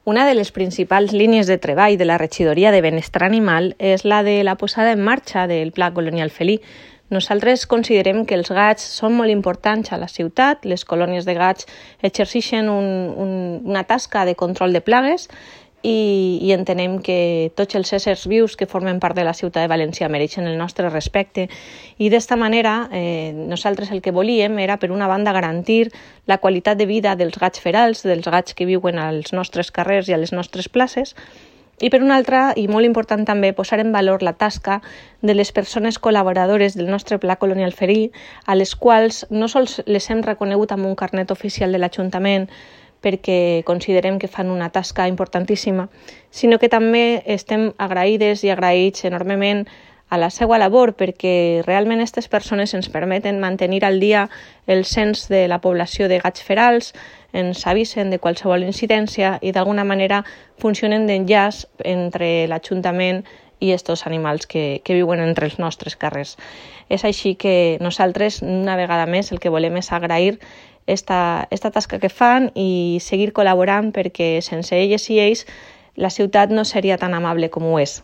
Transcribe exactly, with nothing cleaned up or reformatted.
Una de les principals línies de treball de la Regidoria de Benestar Animal és la de la posada en marxa del Pla Colonial Felí. Nosaltres considerem que els gats són molt importants a la ciutat. Les colònies de gats exerceixen un, un, una tasca de control de plagues i, i entenem que tots els éssers vius que formen part de la ciutat de València mereixen el nostre respecte. I d'esta manera, eh, nosaltres el que volíem era, per una banda, garantir la qualitat de vida dels gats ferals, dels gats que viuen als nostres carrers i a les nostres places, i per una altra, i molt important també, posar en valor la tasca de les persones col·laboradores del nostre Pla Colonial Felí, a les quals no sols les hem reconegut amb un carnet oficial de l'Ajuntament perquè considerem que fan una tasca importantíssima, sinó que també estem agraïdes i agraïts enormement a la seva labor, perquè realment aquestes persones ens permeten mantenir al dia el cens de la població de gats ferals, ens avisen de qualsevol incidència i d'alguna manera funcionen d'enllaç entre l'Ajuntament i aquests animals que, que viuen entre els nostres carrers. És així que nosaltres, una vegada més, el que volem és agrair esta, esta tasca que fan i seguir col·laborant perquè sense elles i ells la ciutat no seria tan amable com ho és.